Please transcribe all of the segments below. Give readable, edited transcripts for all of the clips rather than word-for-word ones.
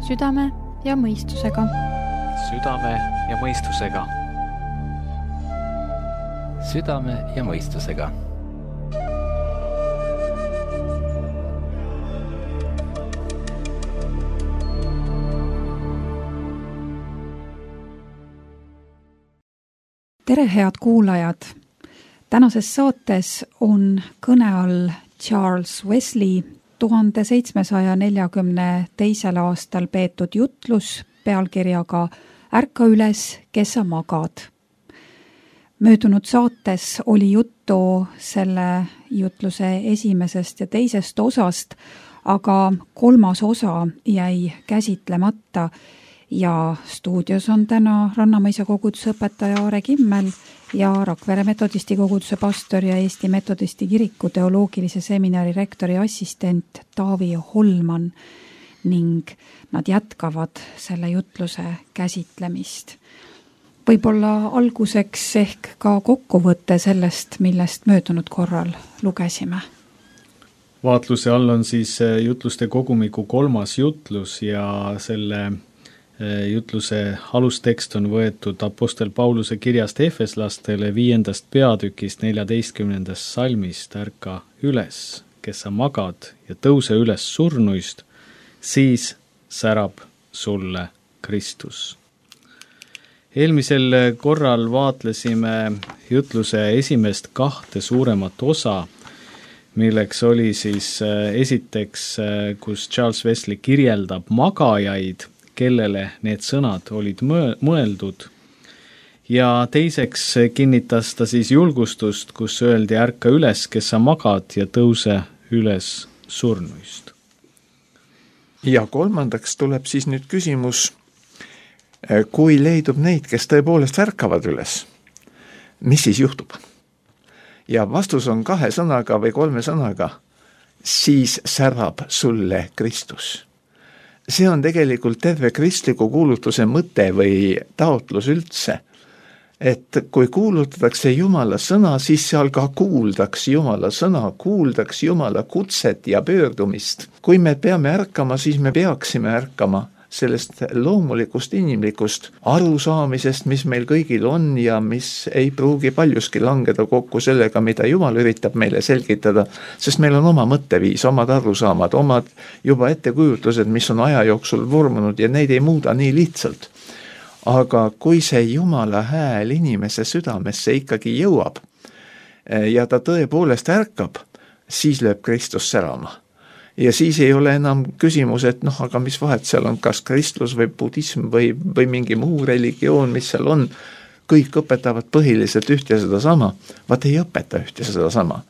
Südame ja mõistusega. Südame ja mõistusega. Südame ja mõistusega. Tere, head kuulajad! Tänases saates on kõne all Charles Wesley 1742. aastal peetud jutlus pealkirjaga Ärka üles, kes sa magad. Möödunud saates oli juttu selle jutluse esimesest ja teisest osast, aga kolmas osa jäi käsitlemata ja stuudios on täna Rannamõisa koguduse õpetaja Aare Kimmel ja Rakvere metodisti koguduse pastor ja Eesti metodisti kiriku teoloogilise seminari rektori assistent Taavi Holman ning nad jätkavad selle jutluse käsitlemist. Võib-olla alguseks ehk ka kokkuvõte sellest, millest möödunud korral lugesime. Vaatluse all on siis jutluste kogumiku 3. jutlus ja selle jutluse alustekst on võetud Apostel Pauluse kirjast Efeslastele 5. peatükist 14. salmist. Ärka üles, kes sa magad, ja tõuse üles surnuist, siis särab sulle Kristus. Eelmisel korral vaatlesime jutluse esimest 2 suuremat osa, milleks oli siis esiteks, kus Charles Wesley kirjeldab magajaid, kellele need sõnad olid mõeldud. Ja teiseks kinnitas ta siis julgustust, kus öeldi ärka üles, kes sa magad, ja tõuse üles surnuist. Ja kolmandaks tuleb siis nüüd küsimus, kui leidub neid, kes tõepoolest ärkavad üles, mis siis juhtub? Ja vastus on 2 sõnaga või 3 sõnaga, siis särab sulle Kristus. See on tegelikult terve kristliku kuulutuse mõte või taotlus üldse, et kui kuulutatakse Jumala sõna, siis seal ka kuuldaks Jumala sõna, kuuldaks Jumala kutset ja pöördumist. Kui me peame ärkama, siis me peaksime ärkama sellest loomulikust inimlikust arusaamisest, mis meil kõigil on ja mis ei pruugi paljuski langeda kokku sellega, mida Jumal üritab meile selgitada, sest meil on oma mõtteviis, omad arusaamad, omad juba ettekujutlused, mis on aja jooksul vormunud ja neid ei muuda nii lihtsalt. Aga kui see Jumala hääl inimese südamesse ikkagi jõuab ja ta tõepoolest ärkab, siis lööb Kristus särama. Ja siis ei ole enam küsimus, et aga mis vahet seal on, kas kristlus või budism või mingi muu religioon, mis seal on, kõik õpetavad põhiliselt üht ja seda sama, vaat ei õpeta üht ja seda sama.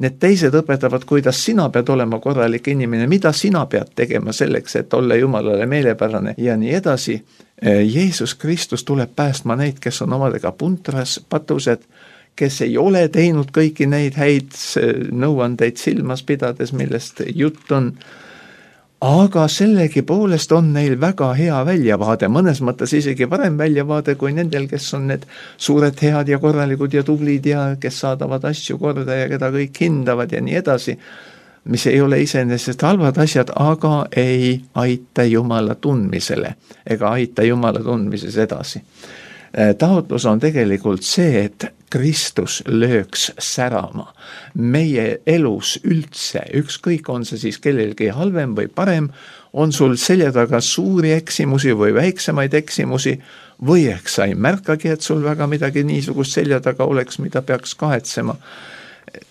Need teised õpetavad, kuidas sina pead olema korralik inimene, mida sina pead tegema selleks, et olla Jumalale meelepärane ja nii edasi. Jeesus Kristus tuleb päästma neid, kes on omadega puntras, patused, kes ei ole teinud kõiki neid häid nõuandeid silmas pidades, millest jutt on, aga sellegi poolest on neil väga hea väljavaade, mõnes mõttes isegi parem väljavaade kui nendel, kes on need suured head ja korralikud ja tublid ja kes saadavad asju korda ja keda kõik hindavad ja nii edasi, mis ei ole iseenesest halvad asjad, aga ei aita Jumala tundmisele ega aita Jumala tundmises edasi. Taotlus on tegelikult see, et Kristus lööks särama meie elus üldse, ükskõik on see siis kellelgi halvem või parem, on sul selja taga suuri eksimusi või väiksemaid eksimusi, või ehk sa ei märkagi, et sul väga midagi niisugust selja taga oleks, mida peaks kahetsema.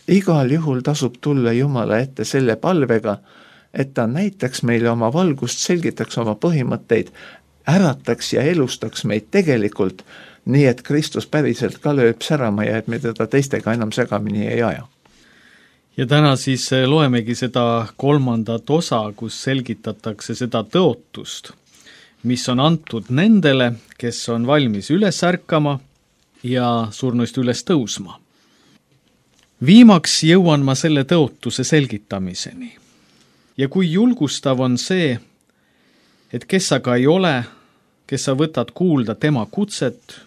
Igal juhul tasub tulla Jumala ette selle palvega, et ta näitaks meile oma valgust, selgitaks oma põhimõtteid, ärataks ja elustaks meid tegelikult, nii et Kristus päriselt ka lööb särama ja et me teda teistega enam segamini ei aja. Ja täna siis loemegi seda 3. osa, kus selgitatakse seda tõotust, mis on antud nendele, kes on valmis üles ärkama ja surnuist üles tõusma. Viimaks jõuan ma selle tõotuse selgitamiseni. Ja kui julgustav on see, et kes sa ka ei ole, kes sa võtad kuulda tema kutset,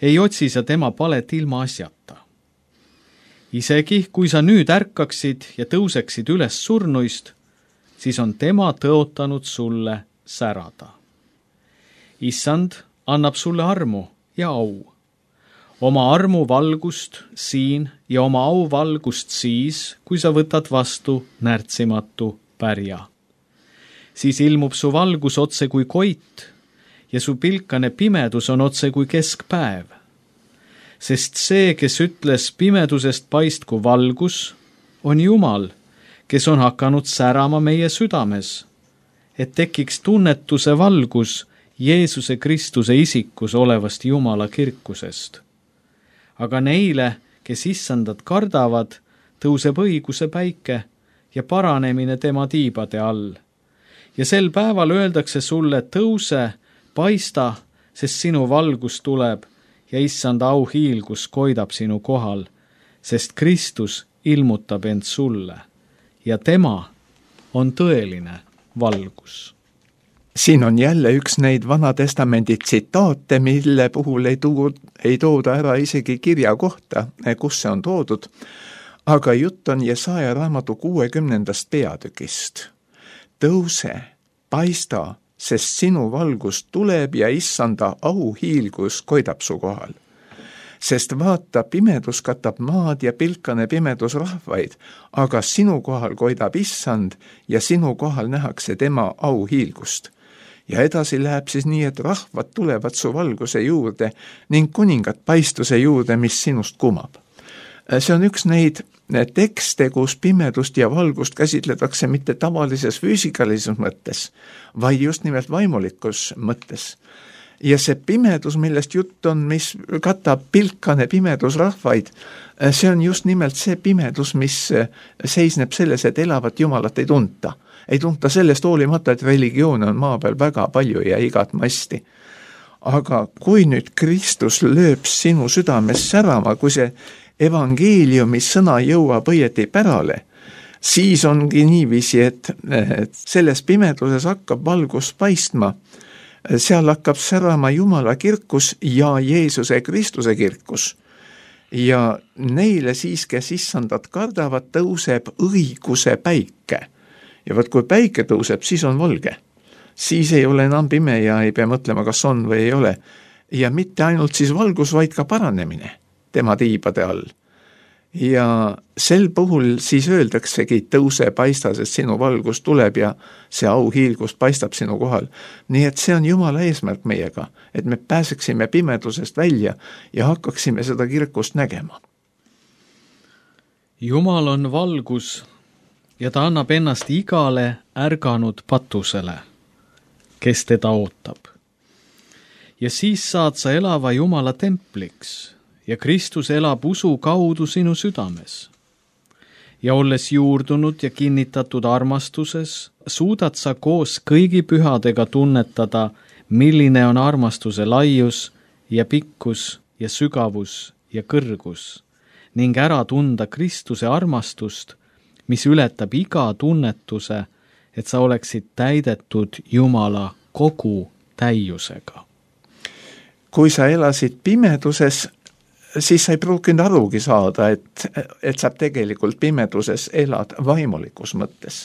ei otsi sa tema palet ilma asjata. Isegi kui sa nüüd ärkaksid ja tõuseksid üles surnuist, siis on tema tõotanud sulle särada. Issand annab sulle armu ja au. Oma armu valgust siin ja oma au valgust siis, kui sa võtad vastu närtsimatu pärja. Siis ilmub su valgus otse kui koit ja su pilkane pimedus on otse kui keskpäev. Sest see, kes ütles pimedusest paistku valgus, on Jumal, kes on hakanud särama meie südames, et tekiks tunnetuse valgus Jeesuse Kristuse isikus olevast Jumala kirkusest. Aga neile, kes issandat kardavad, tõuseb õiguse päike ja paranemine tema tiibade all. Ja sel päeval öeldakse sulle, tõuse, paista, sest sinu valgus tuleb ja issanda auhiilgus koidab sinu kohal, sest Kristus ilmutab end sulle ja tema on tõeline valgus. Siin on jälle üks neid Vana Testamendi tsitaate, mille puhul ei tooda ära isegi kirja kohta, kus see on toodud, aga jutt on Jesaja raamatu 60. peatükist. Tõuse, paista, sest sinu valgus tuleb ja issanda auhiilgus koidab su kohal. Sest vaata, pimedus katab maad ja pilkane pimedus rahvaid, aga sinu kohal koidab issand ja sinu kohal nähakse tema auhiilgust. Ja edasi läheb siis nii, et rahvad tulevad su valguse juurde ning kuningad paistuse juurde, mis sinust kumab. See on üks neid tekste, kus pimedust ja valgust käsitletakse mitte tavalises füüsikalises mõttes, vaid just nimelt vaimulikus mõttes. Ja see pimedus, millest jutt on, mis katab pilkane pimedus rahvaid, see on just nimelt see pimedus, mis seisneb selles, et elavat Jumalat ei tunta. Ei tunta sellest hoolimata, et religioone on maa peal väga palju ja igat masti. Aga kui nüüd Kristus lööb sinu südames särama, kui see evangeeliumi sõna jõuab õieti pärale, siis ongi niiviisi, et selles pimeduses hakkab valgus paistma. Seal hakkab särama Jumala kirkus ja Jeesuse Kristuse kirkus. Ja neile siis, kes issandat kardavad, tõuseb õiguse päike. Ja võt, kui päike tõuseb, siis on valge. Siis ei ole enam pime ja ei pea mõtlema, kas on või ei ole. Ja mitte ainult siis valgus, vaid ka paranemine tema tiibade all. Ja sel puhul siis öeldaksegi, tõuse, paista, sest sinu valgus tuleb ja see auhiilgus paistab sinu kohal. Nii et see on Jumala eesmärk meiega, et me pääseksime pimedusest välja ja hakkaksime seda kirkust nägema. Jumal on valgus ja ta annab ennast igale ärganud patusele, kes teda ootab. Ja siis saad sa elava Jumala templiks ja Kristus elab usu kaudu sinu südames. Ja olles juurdunud ja kinnitatud armastuses, suudad sa koos kõigi pühadega tunnetada, milline on armastuse laius ja pikkus ja sügavus ja kõrgus, ning ära tunda Kristuse armastust, mis ületab iga tunnetuse, et sa oleksid täidetud Jumala kogu täiusega. Kui sa elasid pimeduses, siis sa ei pruukinud arugi saada, et sa tegelikult pimeduses elad vaimulikus mõttes.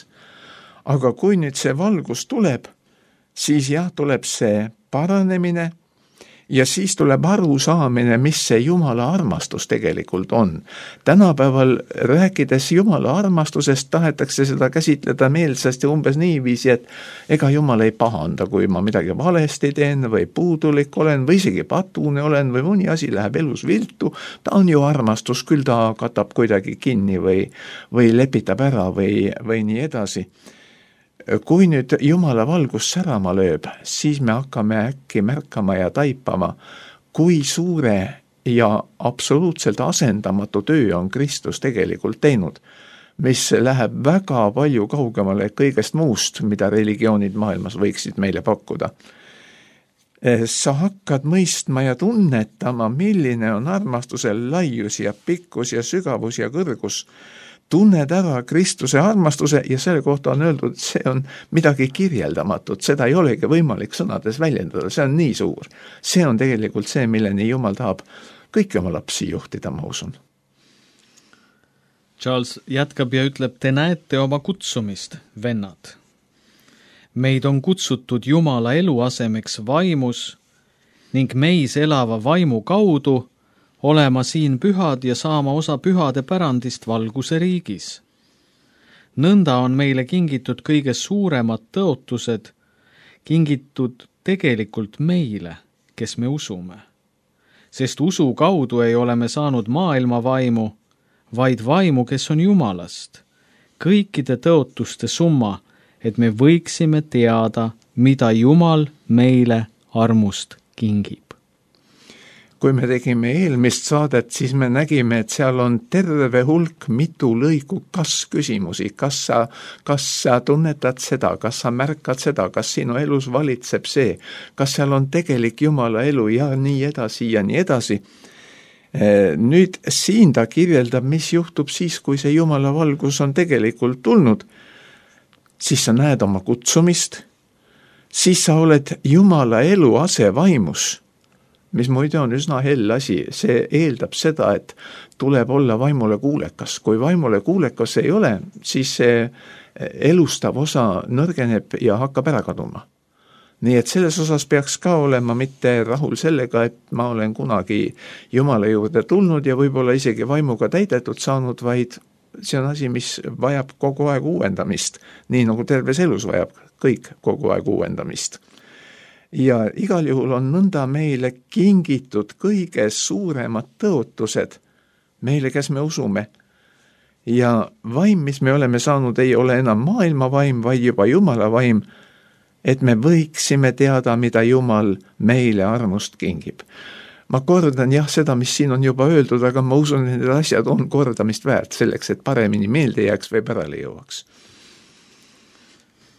Aga kui nüüd see valgus tuleb, siis jah, tuleb see paranemine ja siis tuleb arusaamine, mis see Jumala armastus tegelikult on. Tänapäeval rääkides Jumala armastusest tahetakse seda käsitleda meelsasti umbes niiviisi, et ega Jumal ei pahanda, kui ma midagi valesti teen või puudulik olen või isegi patune olen või mõni asi läheb elus viltu. Ta on ju armastus, küll ta katab kuidagi kinni või lepitab ära või nii edasi. Kui nüüd Jumala valgus särama lööb, siis me hakkame äkki märkama ja taipama, kui suure ja absoluutselt asendamatu töö on Kristus tegelikult teinud, mis läheb väga palju kaugemale kõigest muust, mida religioonid maailmas võiksid meile pakkuda. Sa hakkad mõistma ja tunnetama, milline on armastuse laius ja pikkus ja sügavus ja kõrgus. Tunned ära Kristuse armastuse ja selle kohta on öeldud, et see on midagi kirjeldamatut, seda ei olegi võimalik sõnades väljendada, see on nii suur. See on tegelikult see, milleni Jumal tahab kõiki oma lapsi juhtida, ma usun. Charles jätkab ja ütleb, te näete oma kutsumist, vennad. Meid on kutsutud Jumala eluasemeks vaimus ning meis elava vaimu kaudu olema siin pühad ja saama osa pühade pärandist valguse riigis. Nõnda on meile kingitud kõige suuremad tõotused, kingitud tegelikult meile, kes me usume. Sest usu kaudu ei ole me saanud maailma vaimu, vaid vaimu, kes on Jumalast. Kõikide tõotuste summa, et me võiksime teada, mida Jumal meile armust kingib. Kui me tegime eelmist saadet, siis me nägime, et seal on terve hulk mitu lõigu kas-küsimusi. Kas sa tunnetad seda, kas sa märkad seda, kas sinu elus valitseb see, kas seal on tegelik Jumala elu ja nii edasi ja nii edasi. Nüüd siin ta kirjeldab, mis juhtub siis, kui see Jumala valgus on tegelikult tulnud. Siis sa näed oma kutsumist, siis sa oled Jumala elu asevaimus, mis muide on üsna hell asi. See eeldab seda, et tuleb olla vaimule kuulekas. Kui vaimule kuulekas ei ole, siis see elustav osa nõrgeneb ja hakkab ära kaduma. Nii et selles osas peaks ka olema mitte rahul sellega, et ma olen kunagi Jumala juurde tulnud ja võib-olla isegi vaimuga täidetud saanud, vaid see on asi, mis vajab kogu aeg uuendamist, nii nagu terves elus vajab kõik kogu aeg uuendamist. Ja igal juhul on nõnda meile kingitud kõige suuremad tõotused meile, kes me usume. Ja vaim, mis me oleme saanud, ei ole enam maailma vaim, vaid juba Jumala vaim, et me võiksime teada, mida Jumal meile armust kingib. Ma kordan seda, mis siin on juba öeldud, aga ma usun, et need asjad on kordamist väärt selleks, et paremini meelde jääks või pärale jõuaks.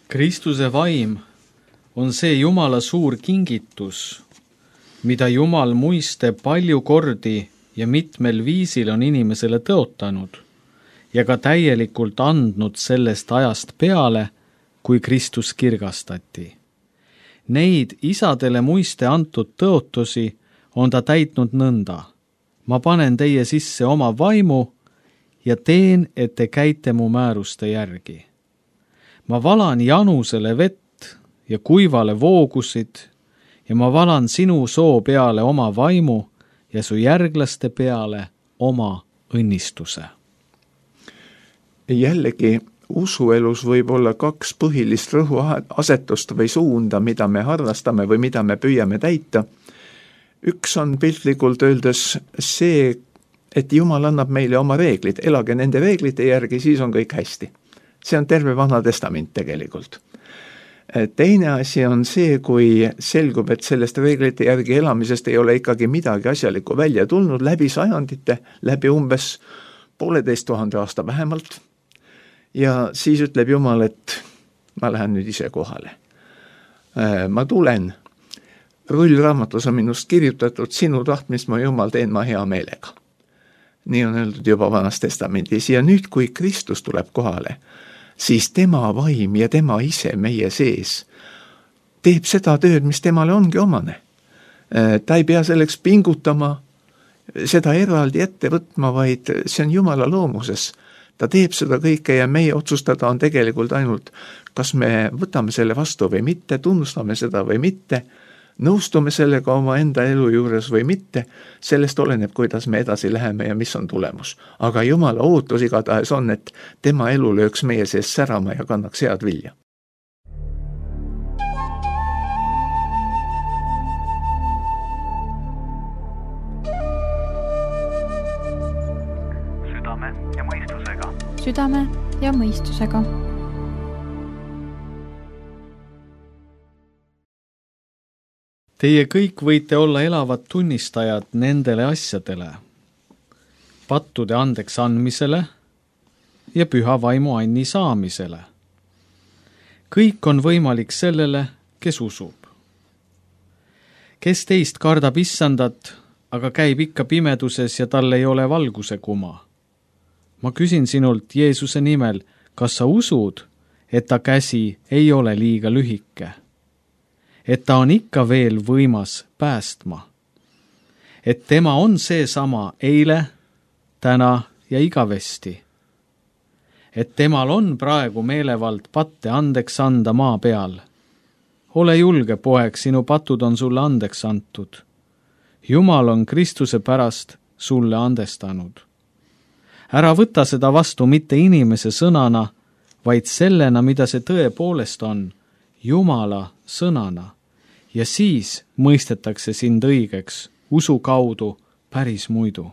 Kristuse vaim on see Jumala suur kingitus, mida Jumal muiste palju kordi ja mitmel viisil on inimesele tõotanud ja ka täielikult andnud sellest ajast peale, kui Kristus kirgastati. Neid isadele muiste antud tõotusi on ta täitnud nõnda. Ma panen teie sisse oma vaimu ja teen, et te käite mu määruste järgi. Ma valan janusele vett ja kuivale voogusid ja ma valan sinu soo peale oma vaimu ja su järglaste peale oma õnnistuse. Jällegi, usuelus võib olla kaks põhilist rõhuasetust või suunda, mida me harrastame või mida me püüame täita. Üks on piltlikult öeldes see, et Jumal annab meile oma reeglid, elage nende reeglite järgi, siis on kõik hästi. See on terve Vana Testament tegelikult. Teine asi on see, kui selgub, et sellest reeglite järgi elamisest ei ole ikkagi midagi asjalikku välja tulnud läbi sajandite, läbi umbes 1500 aasta vähemalt. Ja siis ütleb Jumal, et ma lähen nüüd ise kohale. Ma tulen, rullraamatus on minust kirjutatud, sinu tahtmist ma Jumal teen ma hea meelega. Nii on öeldud juba Vanas Testamendis ja nüüd, kui Kristus tuleb kohale, siis tema vaim ja tema ise meie sees teeb seda tööd, mis temale ongi omane. Ta ei pea selleks pingutama, seda eraldi ette võtma, vaid see on Jumala loomuses. Ta teeb seda kõike ja meie otsustada on tegelikult ainult, kas me võtame selle vastu või mitte, tunnustame seda või mitte, nõustume sellega oma enda elu juures või mitte, sellest oleneb, kuidas me edasi läheme ja mis on tulemus. Aga Jumala ootus igatahes on, et tema elu lööks meie sees särama ja kannaks head vilja. Südame ja mõistusega. Südame ja mõistusega. Teie kõik võite olla elavad tunnistajad nendele asjadele, pattude andeks andmisele ja püha vaimu anni saamisele. Kõik on võimalik sellele, kes usub. Kes teist kardab issandat, aga käib ikka pimeduses ja tal ei ole valguse kuma? Ma küsin sinult Jeesuse nimel, kas sa usud, et ta käsi ei ole liiga lühike? Et ta on ikka veel võimas päästma. Et tema on seesama eile, täna ja igavesti. Et temal on praegu meelevald patte andeks anda maa peal ole julge, poeg, sinu patud on sulle andeks antud. Jumal on Kristuse pärast sulle andestanud. Ära võta seda vastu mitte inimese sõnana, vaid sellena, mida see tõepoolest on, Jumala sõnana. Ja siis mõistetakse sind õigeks usu kaudu päris muidu.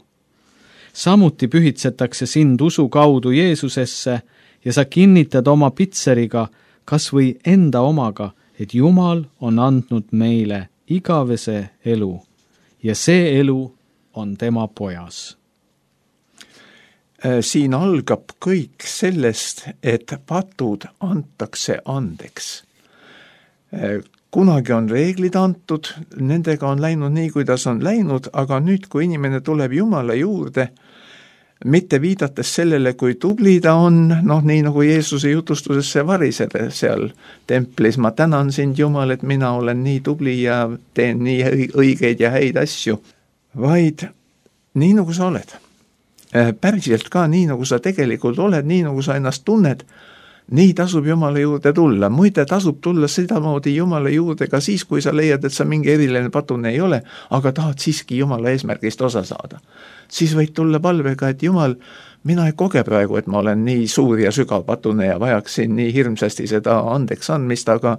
Samuti pühitsetakse sind usu kaudu Jeesusesse ja sa kinnitad oma pitseriga, kas või enda omaga, et Jumal on andnud meile igavese elu ja see elu on tema pojas. Siin algab kõik sellest, et patud antakse andeks. Kunagi on reeglid antud, nendega on läinud nii, kuidas on läinud, aga nüüd, kui inimene tuleb Jumala juurde, mitte viidates sellele, kui tubli ta on, nii nagu Jeesuse jutustuses see variseda seal templis, ma tänan sind, Jumal, et mina olen nii tubli ja teen nii õigeid ja häid asju, vaid nii, nagu sa oled. Päriselt ka nii, nagu sa tegelikult oled, nii, nagu sa ennast tunned, nii tasub Jumala juurde tulla. Muide, tasub tulla sedamoodi Jumala juurde ka siis, kui sa leiad, et sa mingi eriline patune ei ole, aga tahad siiski Jumala eesmärgist osa saada. Siis võid tulla palvega, et Jumal, mina ei koge praegu, et ma olen nii suur ja sügav patune ja vajaksin nii hirmsasti seda andeks andmist, aga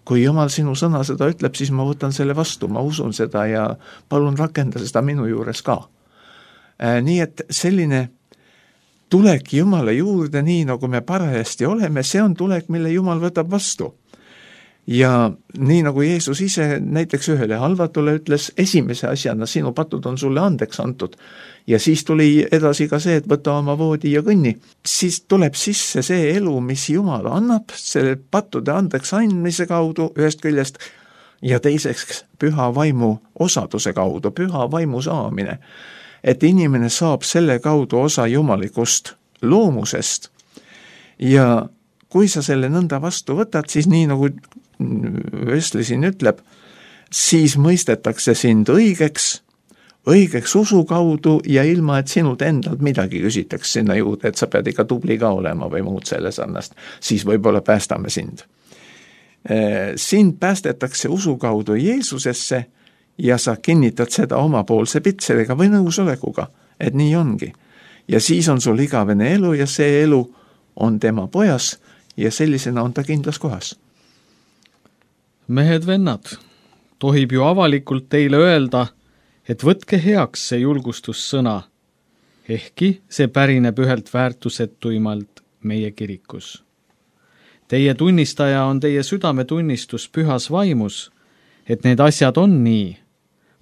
kui Jumal sinu sõna seda ütleb, siis ma võtan selle vastu, ma usun seda ja palun rakenda seda minu juures ka. Nii et selline tulek Jumala juurde, nii nagu me parajasti oleme, see on tulek, mille Jumal võtab vastu. Ja nii nagu Jeesus ise näiteks ühele halvatule ütles, esimese asjana sinu patud on sulle andeks antud. Ja siis tuli edasi ka see, et võta oma voodi ja kõnni. Siis tuleb sisse see elu, mis Jumal annab, selle pattude andeks andmise kaudu ühest küljest ja teiseks püha vaimu osaduse kaudu, püha vaimu saamine. Et inimene saab selle kaudu osa jumalikust loomusest ja kui sa selle nõnda vastu võtad, siis nii nagu Wesley siin ütleb, siis mõistetakse sind õigeks usu kaudu ja ilma, et sinult endalt midagi küsitakse sinna juurde, et sa pead ikka tubli ka olema või muud selle sarnast, siis võib-olla päästame sind. Sind päästetakse usu kaudu Jeesusesse ja sa kinnitad seda omapoolse pitseriga või nõusolekuga, et nii ongi. Ja siis on sul igavene elu ja see elu on tema pojas ja sellisena on ta kindlas kohas. Mehed, vennad, tohib ju avalikult teile öelda, et võtke heaks see julgustussõna, ehkki see pärineb ühelt väärtusetuimalt meie kirikus. Teie tunnistaja on teie südametunnistus pühas vaimus, et need asjad on nii,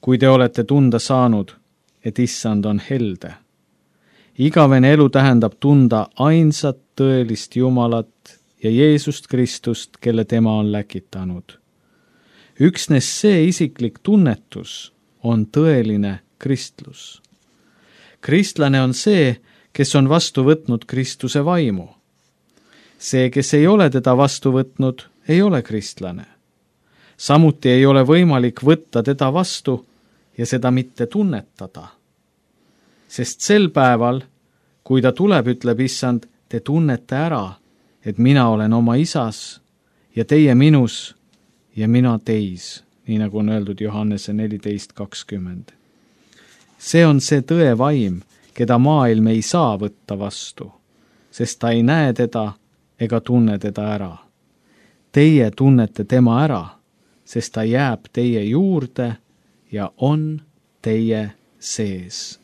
kui te olete tunda saanud, et issand on helde. Igavene elu tähendab tunda ainsat tõelist Jumalat ja Jeesust Kristust, kelle tema on läkitanud. Üksnes see isiklik tunnetus on tõeline kristlus. Kristlane on see, kes on vastu võtnud Kristuse vaimu. See, kes ei ole teda vastu võtnud, ei ole kristlane. Samuti ei ole võimalik võtta teda vastu ja seda mitte tunnetada. Sest sel päeval, kui ta tuleb, ütleb issand, te tunnete ära, et mina olen oma isas ja teie minus ja mina teis, nii nagu on öeldud Johannese 14:20. See on see tõe vaim, keda maailm ei saa võtta vastu, sest ta ei näe teda ega tunne teda ära. Teie tunnete tema ära, sest ta jääb teie juurde ja on teie sees.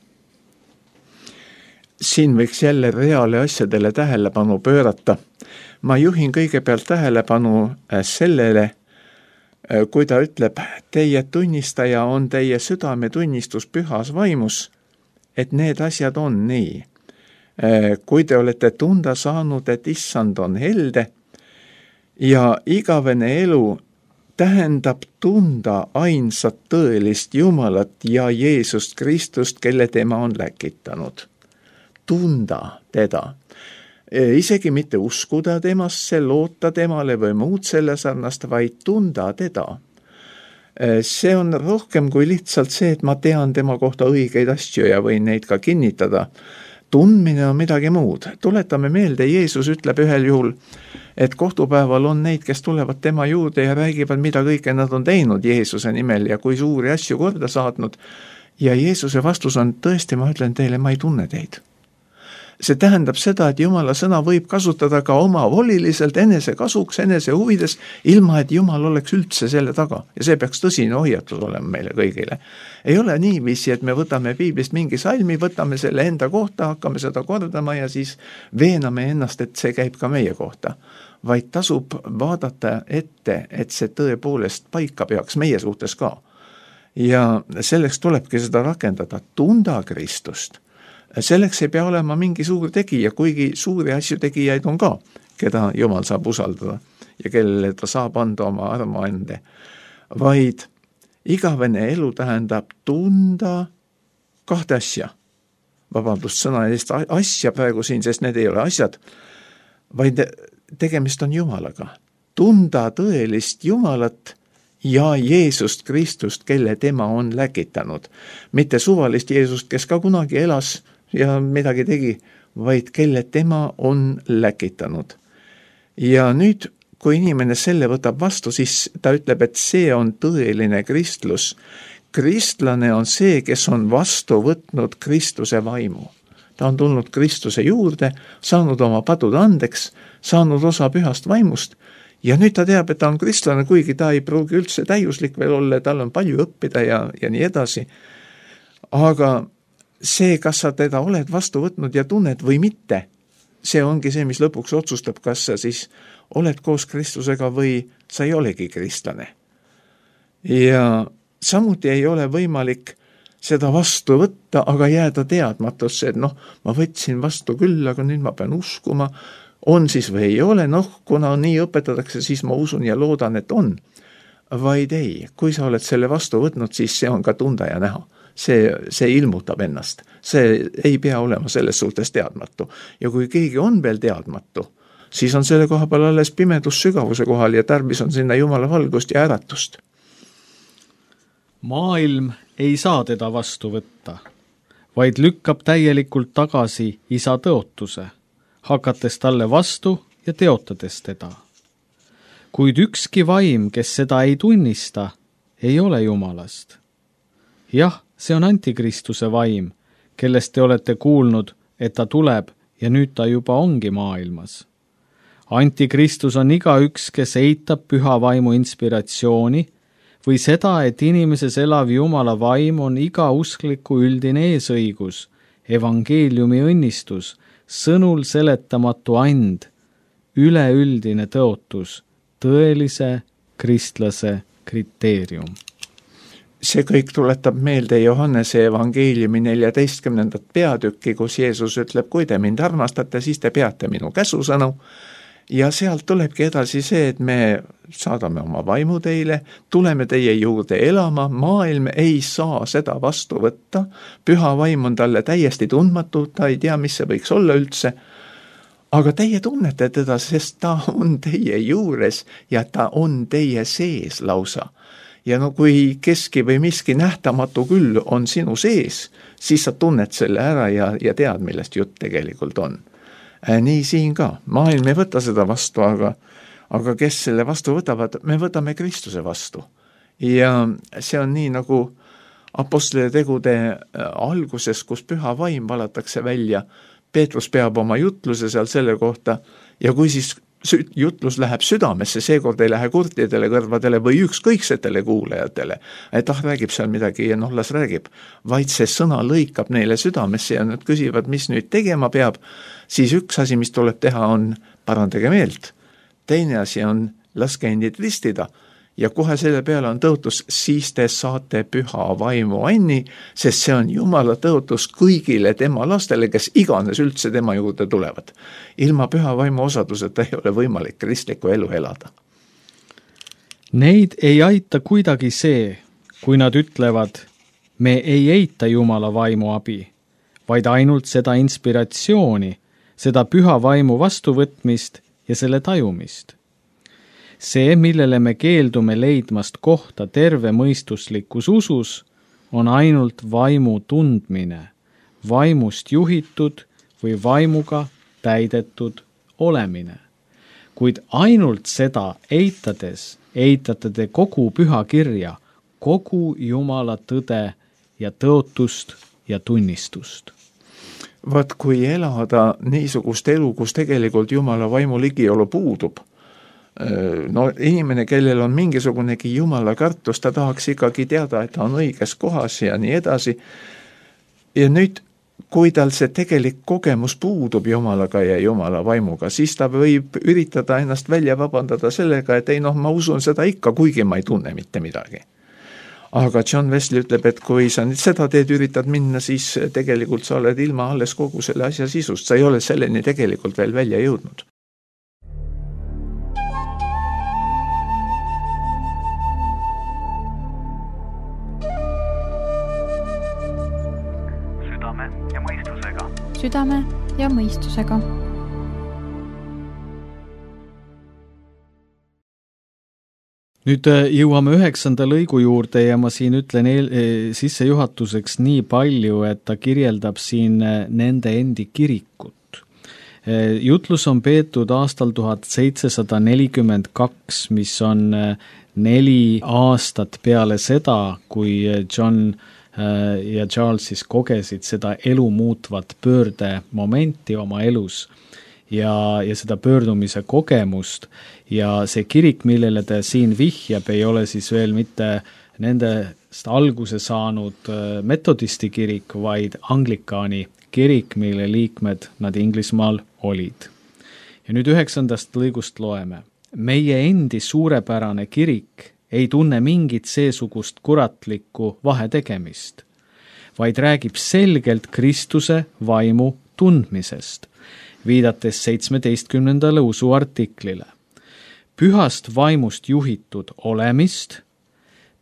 Siin võiks jälle reale asjadele tähelepanu pöörata. Ma juhin kõigepealt tähelepanu sellele, kui ta ütleb, teie tunnistaja on teie südametunnistus pühas vaimus, et need asjad on nii. Kui te olete tunda saanud, et issand on helde ja igavene elu tähendab tunda ainsat tõelist Jumalat ja Jeesust Kristust, kelle tema on läkitanud. Tunda teda. Isegi mitte uskuda temasse, loota temale või muud selle sarnast, vaid tunda teda. See on rohkem kui lihtsalt see, et ma tean tema kohta õigeid asju ja võin neid ka kinnitada. tundmine on midagi muud. Tuletame meelde, Jeesus ütleb ühel juhul, et kohtupäeval on neid, kes tulevad tema juurde ja räägivad, mida kõike nad on teinud Jeesuse nimel ja kui suuri asju korda saatnud. Ja Jeesuse vastus on, tõesti, ma ütlen teile, ma ei tunne teid. See tähendab seda, et Jumala sõna võib kasutada ka omavoliliselt, enese kasuks, enese huvides, ilma et Jumal oleks üldse selle taga. Ja see peaks tõsine hoiatus olema meile kõigile. Ei ole niiviisi, et me võtame piiblist mingi salmi, võtame selle enda kohta, hakkame seda kordama ja siis veename ennast, et see käib ka meie kohta. Vaid tasub vaadata ette, et see tõepoolest paika peaks meie suhtes ka. Ja selleks tulebki seda rakendada, tunda Kristust. Selleks ei pea olema mingi suur tegija, kuigi suuri asju tegijaid on ka, keda Jumal saab usaldada ja kellele ta saab anda oma armuande. Vaid igavene elu tähendab tunda kahte asja. Vabandust sõna eest asja praegu siin, sest need ei ole asjad, vaid tegemist on Jumalaga. Tunda tõelist Jumalat ja Jeesust Kristust, kelle tema on läkitanud. Mitte suvalist Jeesust, kes ka kunagi elas ja midagi tegi, vaid kelle tema on läkitanud. Ja nüüd, kui inimene selle võtab vastu, siis ta ütleb, et see on tõeline kristlus. Kristlane on see, kes on vastu võtnud Kristuse vaimu. Ta on tulnud Kristuse juurde, saanud oma patud andeks, saanud osa pühast vaimust ja nüüd ta teab, et ta on kristlane, kuigi ta ei pruugi üldse täiuslik veel olla, tal on palju õppida ja nii edasi. Aga see, kas sa teda oled vastu võtnud ja tunned või mitte, see ongi see, mis lõpuks otsustab, kas sa siis oled koos Kristusega või sa ei olegi kristlane. Ja samuti ei ole võimalik seda vastu võtta, aga jääda teadmatusse, et ma võtsin vastu küll, aga nüüd ma pean uskuma, on siis või ei ole, kuna nii õpetatakse, siis ma usun ja loodan, et on. Vaid ei, kui sa oled selle vastu võtnud, siis see on ka tunda ja näha. See ilmutab ennast. See ei pea olema selles suhtes teadmatu. Ja kui keegi on veel teadmatu, siis on selle koha peal alles pimedus sügavuse kohal ja tarvis on sinna Jumala valgust ja äratust. Maailm ei saa teda vastu võtta, vaid lükkab täielikult tagasi isa tõotuse, hakates talle vastu ja teotades teda. Kuid ükski vaim, kes seda ei tunnista, ei ole Jumalast. Jah, see on antikristuse vaim, kellest te olete kuulnud, et ta tuleb ja nüüd ta juba ongi maailmas. Antikristus on igaüks, kes eitab püha vaimu inspiratsiooni või seda, et inimeses elav Jumala vaim on iga uskliku üldine eesõigus, evangeeliumi õnnistus, sõnul seletamatu and, üleüldine tõotus, tõelise kristlase kriteerium. See kõik tuletab meelde Johannese evangeeliumi 14. peatükki, kus Jeesus ütleb, kui te mind armastate, siis te peate minu käsusõnu. Ja sealt tulebki edasi see, et me saadame oma vaimu teile, tuleme teie juurde elama, maailm ei saa seda vastu võtta, püha vaim on talle täiesti tundmatu, ta ei tea, mis see võiks olla üldse, aga teie tunnete teda, sest ta on teie juures ja ta on teie sees lausa. Ja kui keski või miski nähtamatu küll on sinu sees, siis sa tunned selle ära ja tead, millest jutt tegelikult on. Nii siin ka. Maailm ei võta seda vastu, aga kes selle vastu võtavad, me võtame Kristuse vastu. Ja see on nii nagu apostlite tegude alguses, kus püha vaim valatakse välja. Peetrus peab oma jutluse seal selle kohta ja kui siis jutlus läheb südamesse, seekord ei lähe kurtidele kõrvadele või ükskõiksetele kuulajatele, et räägib seal midagi ja las räägib, vaid see sõna lõikab neile südamesse ja nad küsivad, mis nüüd tegema peab, siis üks asi, mis tuleb teha, on parandage meelt. Teine asi on laske endid ristida ja kohe selle peale on tõotus, siis te saate püha vaimu anni, sest see on Jumala tõotus kõigile tema lastele, kes iganes üldse tema juurde tulevad. Ilma püha vaimu osaduseta ei ole võimalik kristlikku elu elada. Neid ei aita kuidagi see, kui nad ütlevad, me ei eita Jumala vaimu abi, vaid ainult seda inspiratsiooni, seda püha vaimu vastuvõtmist ja selle tajumist. See, millele me keeldume leidmast kohta terve mõistuslikus usus, on ainult vaimu tundmine, vaimust juhitud või vaimuga täidetud olemine. Kuid ainult seda eitades eitate te kogu püha kirja, kogu Jumala tõde ja tõotust ja tunnistust. Vaat kui elada niisugust elu, kus tegelikult Jumala vaimu ligiolu puudub, no inimene, kellel on mingisugunegi Jumala kartus, ta tahaks ikkagi teada, et ta on õiges kohas ja nii edasi. Ja nüüd, kui tal see tegelik kogemus puudub Jumalaga ja Jumala vaimuga, siis ta võib üritada ennast välja vabandada sellega, et ei ma usun seda ikka, kuigi ma ei tunne mitte midagi. Aga John Wesley ütleb, et kui sa nüüd seda teed üritad minna, siis tegelikult sa oled ilma alles kogu selle asja sisust, sa ei ole selleni tegelikult veel välja jõudnud. Südame ja mõistusega. Nüüd jõuame 9. lõigu juurde ja ma siin ütlen sissejuhatuseks nii palju, et ta kirjeldab siin nende endi kirikut. Jutlus on peetud aastal 1742, mis on 4 aastat peale seda, kui John ja Charles siis kogesid seda elu muutvat pöörde momenti oma elus ja seda pöördumise kogemust ja see kirik, millele ta siin vihjab, ei ole siis veel mitte nendest alguse saanud metodisti kirik, vaid anglikaani kirik, mille liikmed nad Inglismaal olid. Ja nüüd 9. lõigust loeme. Meie endi suurepärane kirik ei tunne mingit seesugust kuratlikku vahetegemist, vaid räägib selgelt Kristuse vaimu tundmisest, viidates 17. usu artiklile. Pühast vaimust juhitud olemist,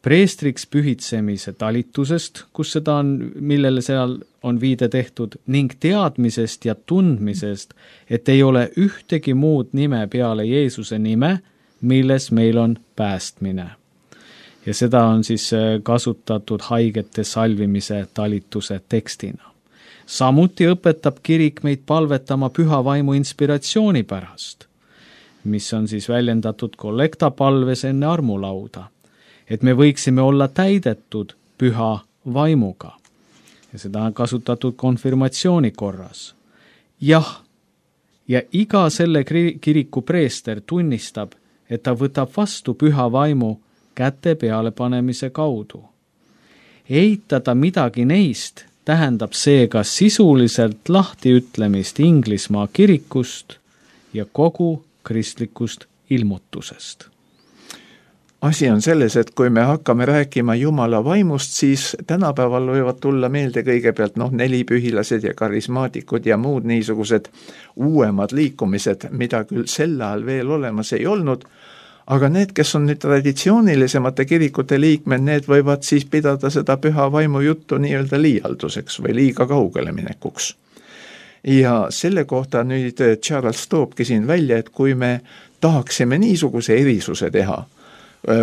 preestriks pühitsemise talitusest, kus seda on, millele seal on viide tehtud, ning teadmisest ja tundmisest, et ei ole ühtegi muud nime peale Jeesuse nime, milles meil on päästmine. Ja seda on siis kasutatud haigete salvimise talituse tekstina. Samuti õpetab kirik meid palvetama püha vaimu inspiratsiooni pärast, mis on siis väljendatud kollektapalves enne armulauda, et me võiksime olla täidetud püha vaimuga. Ja seda on kasutatud konfirmatsiooni korras. Jah, ja iga selle kiriku preester tunnistab, et ta võtab vastu püha vaimu käte peale panemise kaudu. Eitada midagi neist tähendab seega sisuliselt lahtiütlemist Inglismaa kirikust ja kogu kristlikust ilmutusest. Asi on selles, et kui me hakkame rääkima Jumala vaimust, siis tänapäeval võivad tulla meelde kõigepealt 4pühilased ja karismaatikud ja muud niisugused uuemad liikumised, mida küll sel ajal veel olemas ei olnud, aga need, kes on nüüd traditsioonilisemate kirikute liikmed, need võivad siis pidada seda püha vaimu juttu nii-öelda liialduseks või liiga kaugele minekuks. Ja selle kohta nüüd Charles toobki siin välja, et kui me tahaksime niisuguse erisuse teha,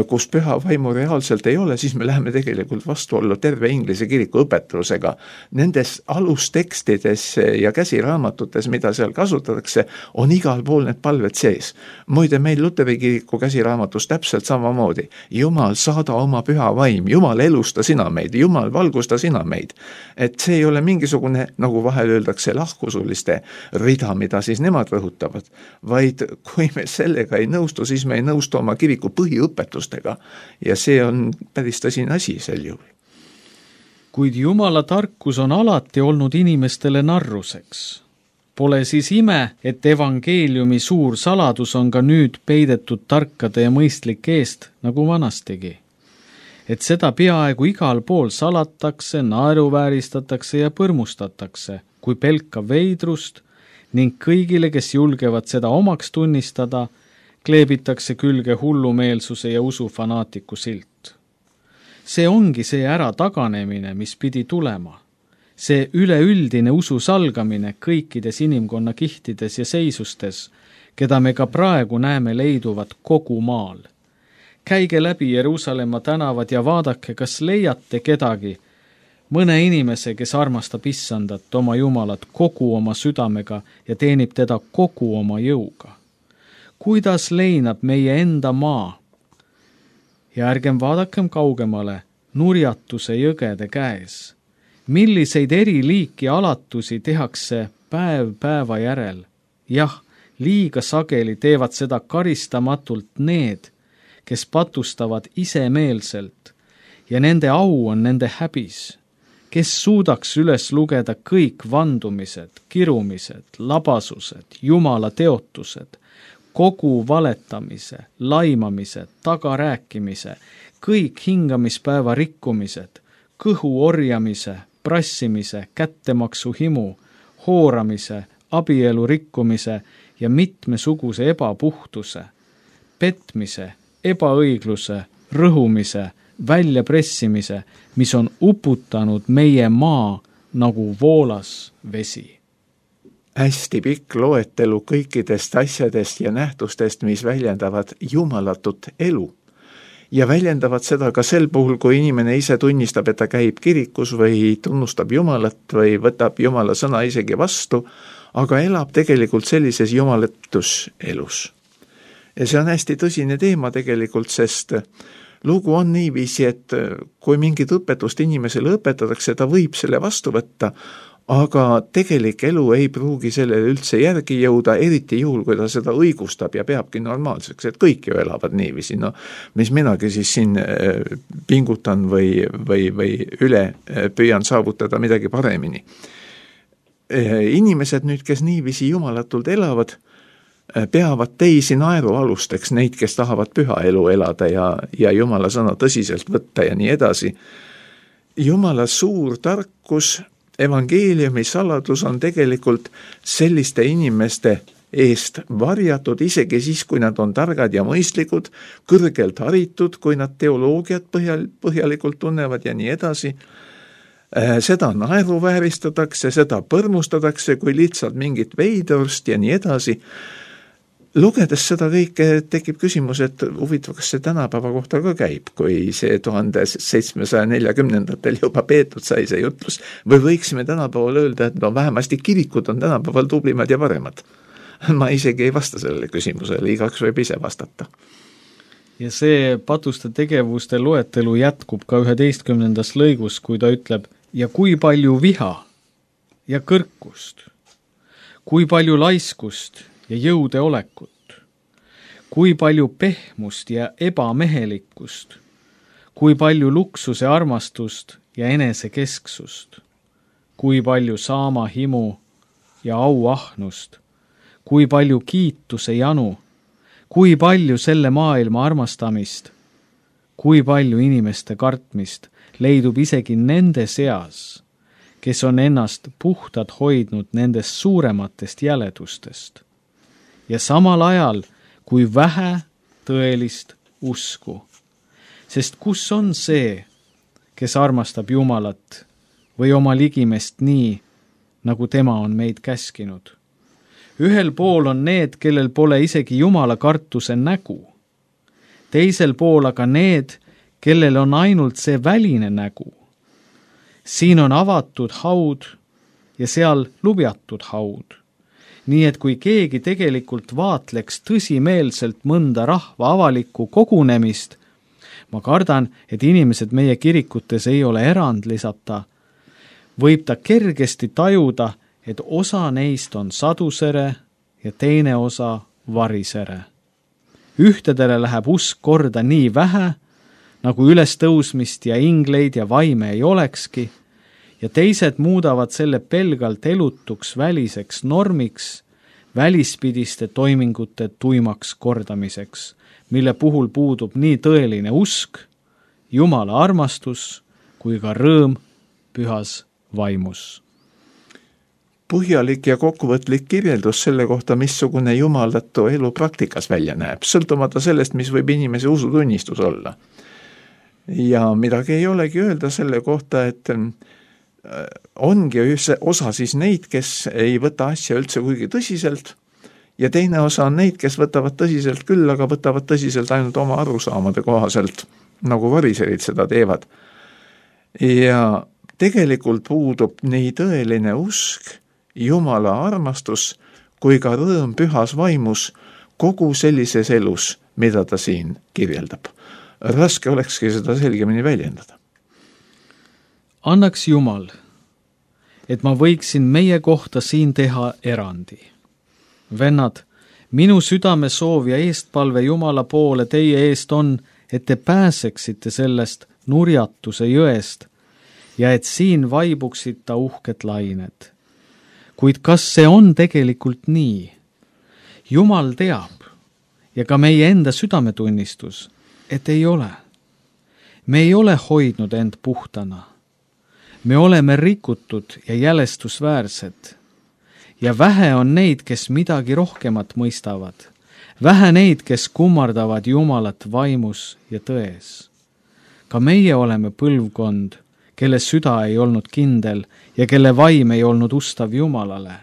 kus püha vaimu reaalselt ei ole, siis me läheme tegelikult vastuollu terve Inglise kiriku õpetusega. Nendes alustekstides ja käsiraamatutes, mida seal kasutatakse, on igal pool need palved sees. Muide, meil Luteri kiriku käsiraamatus täpselt samamoodi. Jumal, saada oma püha vaim, Jumal, elusta sina meid, Jumal, valgusta sina meid. Et see ei ole mingisugune, nagu vahel öeldakse, lahkusuliste rida, mida siis nemad rõhutavad, vaid kui me sellega ei nõustu, siis me ei nõustu oma kiriku põhiõpetustega. Ja see on päris tõsine asi sel juhul. Kuid Jumala tarkus on alati olnud inimestele narruseks. Pole siis ime, et evangeeliumi suur saladus on ka nüüd peidetud tarkade ja mõistlike eest, nagu vanastigi. Et seda peaaegu igal pool salatakse, naeruvääristatakse ja põrmustatakse, kui pelkav veidrust ning kõigile, kes julgevad seda omaks tunnistada, kleebitakse külge hullumeelsuse ja usufanaatiku silt. See ongi see ärataganemine, mis pidi tulema. See üleüldine usu salgamine kõikides inimkonna kihtides ja seisustes, keda me ka praegu näeme leiduvat kogu maal. Käige läbi Jeruusalemma tänavad ja vaadake, kas leiate kedagi mõne inimese, kes armastab Issandat, oma Jumalat kogu oma südamega ja teenib teda kogu oma jõuga. Kuidas leinab meie enda maa? Ja ärgem vaadakem kaugemale nurjatuse jõgede käes. Milliseid eri liiki alatusi tehakse päev päeva järel? Jah, liiga sageli teevad seda karistamatult need, kes patustavad isemeelselt ja nende au on nende häbis. Kes suudaks üles lugeda kõik vandumised, kirumised, labasused, Jumala teotused, kogu valetamise, laimamise, tagarääkimise, kõik hingamispäeva rikkumised, kõhu orjamise, prassimise, kättemaksu himu, hooramise, abielu rikkumise ja mitmesuguse ebapuhtuse, petmise, ebaõigluse, rõhumise, väljapressimise, mis on uputanud meie maa nagu voolas vesi. Hästi pikk loetelu kõikidest asjadest ja nähtustest, mis väljendavad jumalatut elu. Ja väljendavad seda ka sel puhul, kui inimene ise tunnistab, et ta käib kirikus või tunnustab Jumalat või võtab Jumala sõna isegi vastu, aga elab tegelikult sellises jumalatus elus. Ja see on hästi tõsine teema tegelikult, sest lugu on niiviisi, et kui mingit õpetust inimesele õpetatakse, ta võib selle vastu võtta, aga tegelik elu ei pruugi sellele üldse järgi jõuda, eriti juhul, kui ta seda õigustab ja peabki normaalseks, et kõik ju elavad niiviisi. No, mis minagi siis siin pingutan või üle püüan saavutada midagi paremini. Inimesed nüüd, kes niiviisi jumalatult elavad, peavad teisi naerualusteks, neid, kes tahavad püha elu elada ja Jumala sõna tõsiselt võtta ja nii edasi. Jumala suur tarkus, evangeeliumi saladus on tegelikult selliste inimeste eest varjatud, isegi siis, kui nad on targad ja mõistlikud, kõrgelt haritud, kui nad teoloogiat põhjalikult tunnevad ja nii edasi. Seda naeruvääristatakse, seda põrmustatakse kui lihtsalt mingit veidrust ja nii edasi. Lugedes seda kõike tekib küsimus, et huvitav, kas see tänapäeva kohta ka käib, kui see 1740-ndatel juba peetud sai see jutlus, või võiksime tänapäeval öelda, et vähemasti kirikud on tänapäeval tublimad ja paremad. Ma isegi ei vasta sellele küsimusele, igaks võib ise vastata. Ja see patuste tegevuste loetelu jätkub ka 11. lõigus, kui ta ütleb, ja kui palju viha ja kõrkust, kui palju laiskust ja jõudeolekut, kui palju pehmust ja ebamehelikkust, kui palju luksuse armastust ja enesekesksust, kui palju saama himu ja auahnust, kui palju kiituse janu, kui palju selle maailma armastamist, kui palju inimeste kartmist leidub isegi nende seas, kes on ennast puhtad hoidnud nendest suurematest jäledustest. Ja samal ajal, kui vähe tõelist usku. Sest kus on see, kes armastab Jumalat või oma ligimest nii, nagu tema on meid käskinud? Ühel pool on need, kellel pole isegi Jumala kartuse nägu. Teisel pool aga need, kellel on ainult see väline nägu. Siin on avatud haud ja seal lubjatud haud. Nii et kui keegi tegelikult vaatleks tõsimeelselt mõnda rahva avalikku kogunemist, ma kardan, et inimesed meie kirikutes ei ole erandlisata, võib ta kergesti tajuda, et osa neist on sadusere ja teine osa varisere. Ühtedele läheb usk korda nii vähe, nagu ülestõusmist ja ingleid ja vaime ei olekski, ja teised muudavad selle pelgalt elutuks väliseks normiks, välispidiste toimingute tuimaks kordamiseks, mille puhul puudub nii tõeline usk, Jumala armastus kui ka rõõm pühas vaimus. Põhjalik ja kokkuvõtlik kirjeldus selle kohta, missugune jumalatu elu praktikas välja näeb, sõltumata sellest, mis võib inimese usutunnistus olla. Ja midagi ei olegi öelda selle kohta, et ongi osa siis neid, kes ei võta asja üldse kuigi tõsiselt ja teine osa on neid, kes võtavad tõsiselt küll, aga võtavad tõsiselt ainult oma arusaamade kohaselt, nagu variserid seda teevad. Ja tegelikult puudub nii tõeline usk, Jumala armastus kui ka rõõm pühas vaimus kogu sellises elus, mida ta siin kirjeldab. Raske olekski seda selgemini väljendada. Annaks Jumal, et ma võiksin meie kohta siin teha erandi. Vennad, minu südame soov ja eestpalve Jumala poole teie eest on, et te pääseksite sellest nurjatuse jõest ja et siin vaibuksid ta uhked lained. Kuid kas see on tegelikult nii? Jumal teab ja ka meie enda südametunnistus, et ei ole. Me ei ole hoidnud end puhtana. Me oleme rikutud ja jälestusväärsed. Ja vähe on neid, kes midagi rohkemat mõistavad. Vähe neid, kes kummardavad Jumalat vaimus ja tões. Ka meie oleme põlvkond, kelle süda ei olnud kindel ja kelle vaim ei olnud ustav Jumalale.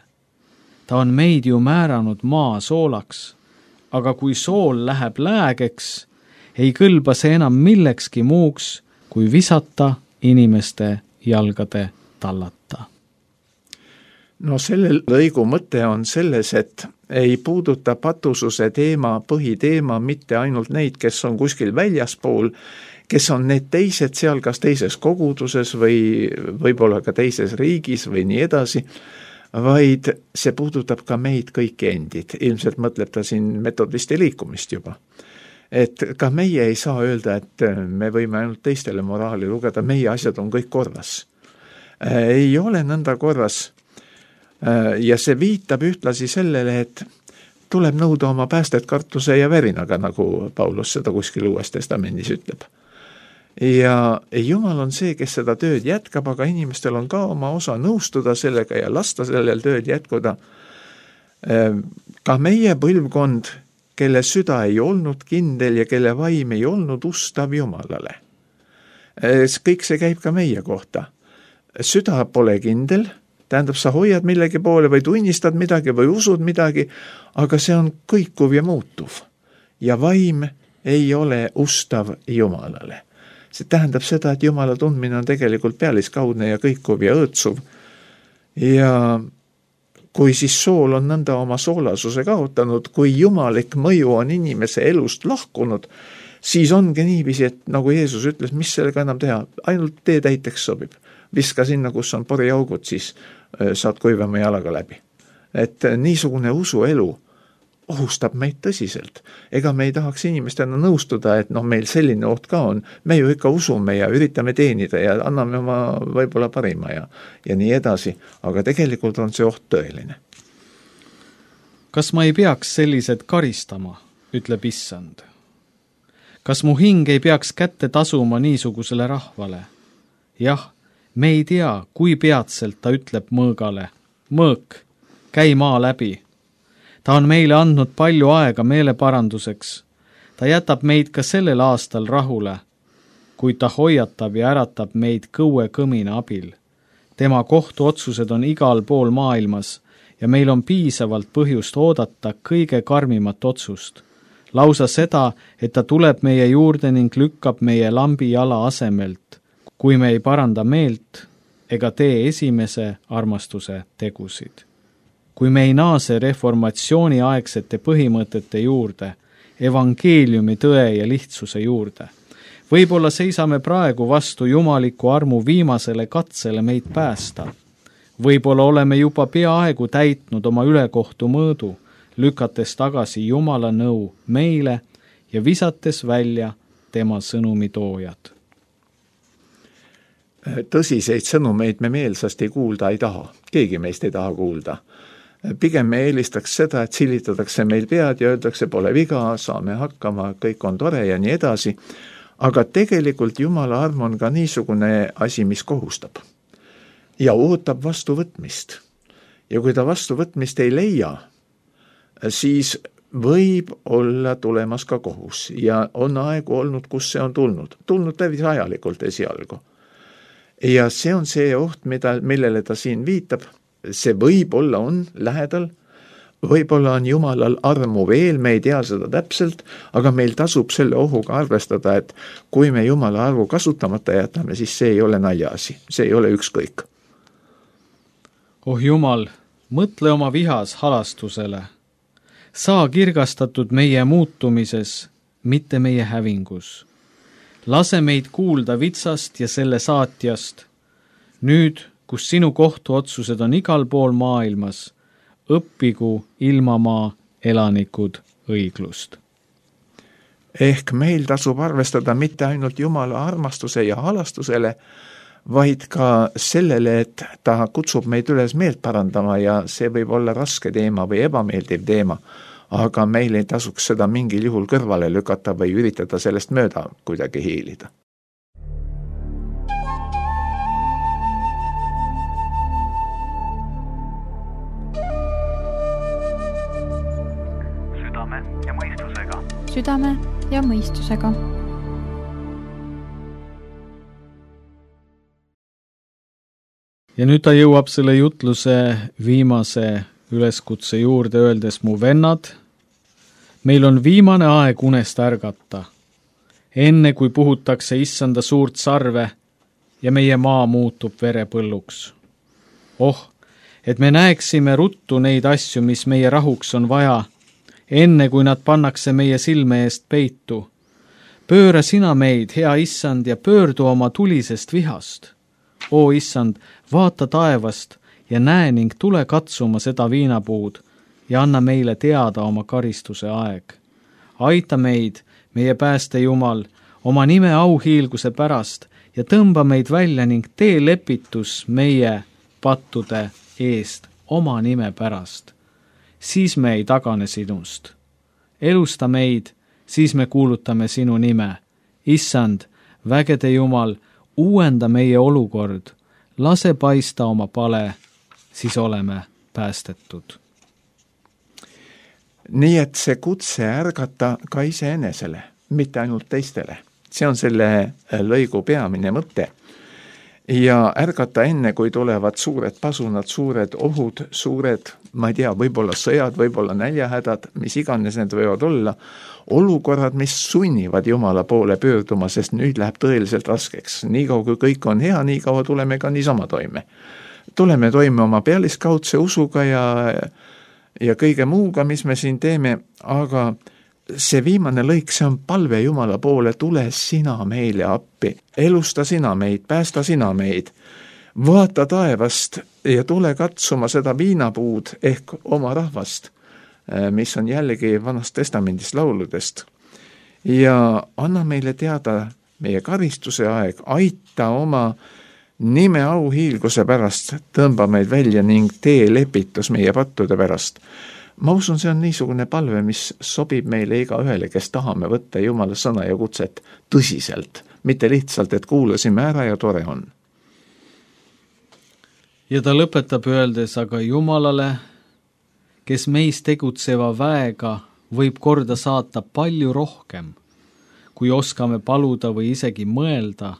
Ta on meid ju määranud maa soolaks, aga kui sool läheb läägeks, ei kõlba see enam millekski muuks, kui visata inimeste jalgade tallata. No selle lõigu mõte on selles, et ei puuduta patususe teema, põhiteema mitte ainult neid, kes on kuskil väljaspool, kes on need teised seal kas teises koguduses või võib-olla ka teises riigis või nii edasi, vaid see puudutab ka meid kõiki endid. Ilmselt mõtleb ta siin metodisti liikumist juba. Et ka meie ei saa öelda, et me võime ainult teistele moraali lugeda, meie asjad on kõik korras. Ei ole nõnda korras. Ja see viitab ühtlasi sellele, et tuleb nõuda oma päästet kartuse ja verinaga, nagu Paulus seda kuskil Uues Testamendis ütleb. Ja Jumal on see, kes seda tööd jätkab, aga inimestel on ka oma osa nõustuda sellega ja lasta sellel tööd jätkuda. Ka meie põlvkond, kelle süda ei olnud kindel ja kelle vaim ei olnud ustav Jumalale. Kõik see käib ka meie kohta. Süda pole kindel, tähendab, sa hoiad millegi poole või tunnistad midagi või usud midagi, aga see on kõikuv ja muutuv. Ja vaim ei ole ustav Jumalale. See tähendab seda, et Jumala tundmine on tegelikult pealiskaudne ja kõikuv ja õõtsuv. Ja kui siis sool on nõnda oma soolasuse kaotanud, kui jumalik mõju on inimese elust lahkunud, siis ongi niiviisi, et nagu Jeesus ütles, mis sellega enam teha, ainult tee täiteks sobib. Viska sinna, kus on poriaugud, siis saad kuivama jalaga läbi. Et niisugune usuelu ohustab meid tõsiselt. Ega me ei tahaks inimestena nõustuda, et meil selline oht ka on. Me ju ikka usume ja üritame teenida ja anname oma võib-olla parima ja nii edasi. Aga tegelikult on see oht tõeline. Kas ma ei peaks sellised karistama, ütleb Issand? Kas mu hing ei peaks kätte tasuma niisugusele rahvale? Jah, me ei tea, kui peatselt ta ütleb mõõgale. Mõõk, käi maa läbi. Ta on meile andnud palju aega meeleparanduseks. Ta jätab meid ka sellel aastal rahule, kuid ta hoiatab ja äratab meid kõue kõmina abil. Tema kohtuotsused on igal pool maailmas ja meil on piisavalt põhjust oodata kõige karmimat otsust. Lausa seda, et ta tuleb meie juurde ning lükkab meie lambi jala asemelt, kui me ei paranda meelt ega tee esimese armastuse tegusid. Kui me ei naase reformatsiooni aegsete põhimõtete juurde, evangeeliumi tõe ja lihtsuse juurde. Võib-olla seisame praegu vastu jumaliku armu viimasele katsele meid päästa. Võib-olla oleme juba peaaegu täitnud oma ülekohtu mõõdu, lükates tagasi Jumala nõu meile ja visates välja tema sõnumitoojad. Tõsiseid sõnumeid me meelsasti kuulda ei taha. Keegi meist ei taha kuulda. Pigem me eelistaks seda, et silitatakse meil pead ja öeldakse, pole viga, saame hakkama, kõik on tore ja nii edasi. Aga tegelikult Jumala arm on ka niisugune asi, mis kohustab. Ja ootab vastuvõtmist. Ja kui ta vastuvõtmist ei leia, siis võib olla tulemas ka kohus. Ja on aegu olnud, kus see on tulnud. Tulnud tävis ajalikult esialgu. Ja see on see oht, millele ta siin viitab. See võib-olla on lähedal, võib-olla on Jumalal armu veel, me ei tea seda täpselt, aga meil tasub selle ohuga arvestada, et kui me Jumala arvu kasutamata jätame, siis see ei ole naljaasi, see ei ole ükskõik. Oh Jumal, mõtle oma vihas halastusele. Saa kirgastatud meie muutumises, mitte meie hävingus. Lase meid kuulda vitsast ja selle saatjast. Nüüd, kus sinu kohtuotsused on igal pool maailmas, õppigu ilmamaa elanikud õiglust. Ehk meil tasub arvestada mitte ainult Jumala armastuse ja halastusele, vaid ka sellele, et ta kutsub meid üles meelt parandama ja see võib olla raske teema või ebameeldiv teema, aga meil ei tasuks seda mingil juhul kõrvale lükata või üritada sellest mööda kuidagi hiilida. Südame ja mõistusega. Südame ja mõistusega. Ja nüüd ta jõuab selle jutluse viimase üleskutse juurde, öeldes mu vennad, meil on viimane aeg unest ärgata, enne kui puhutakse issanda suurt sarve ja meie maa muutub verepõlluks. Oh, et me näeksime ruttu neid asju, mis meie rahuks on vaja, enne kui nad pannakse meie silme eest peitu. Pööra sina meid, hea issand, ja pöördu oma tulisest vihast. O issand, vaata taevast ja näe ning tule katsuma seda viinapuud ja anna meile teada oma karistuse aeg. Aita meid, meie pääste Jumal, oma nime auhiilguse pärast ja tõmba meid välja ning tee lepitus meie pattude eest oma nime pärast. Siis me ei tagane sinust. Elusta meid, siis me kuulutame sinu nime. Issand, vägede Jumal, uuenda meie olukord, lase paista oma pale, siis oleme päästetud. Nii et see kutse ärgata ka iseenesele, mitte ainult teistele. See on selle lõigu peamine mõte. Ja ärgata enne, kui tulevad suured pasunad, suured ohud, suured, ma ei tea, võib-olla sõjad, võib-olla näljahädad, mis iganes need võivad olla, olukorrad, mis sunnivad Jumala poole pöörduma, sest nüüd läheb tõeliselt raskeks. Nii kaua kui kõik on hea, nii kaua tuleme ka niisama toime. Tuleme toime oma pealiskaudse usuga ja kõige muuga, mis me siin teeme, aga see viimane lõik, see on palve Jumala poole, tule sina meile appi, elusta sina meid, päästa sina meid, vaata taevast ja tule katsuma seda viinapuud ehk oma rahvast, mis on jällegi Vanast Testamendist lauludest. Ja anna meile teada meie karistuse aeg, aita oma nime auhiilguse pärast, tõmba meid välja ning tee lepitus meie pattude pärast. Ma usun, see on niisugune palve, mis sobib meile igaühele, kes tahame võtta Jumala sõna ja kutset tõsiselt, mitte lihtsalt, et kuulasime ära ja tore on. Ja ta lõpetab öeldes, aga Jumalale, kes meis tegutseva väega võib korda saata palju rohkem, kui oskame paluda või isegi mõelda,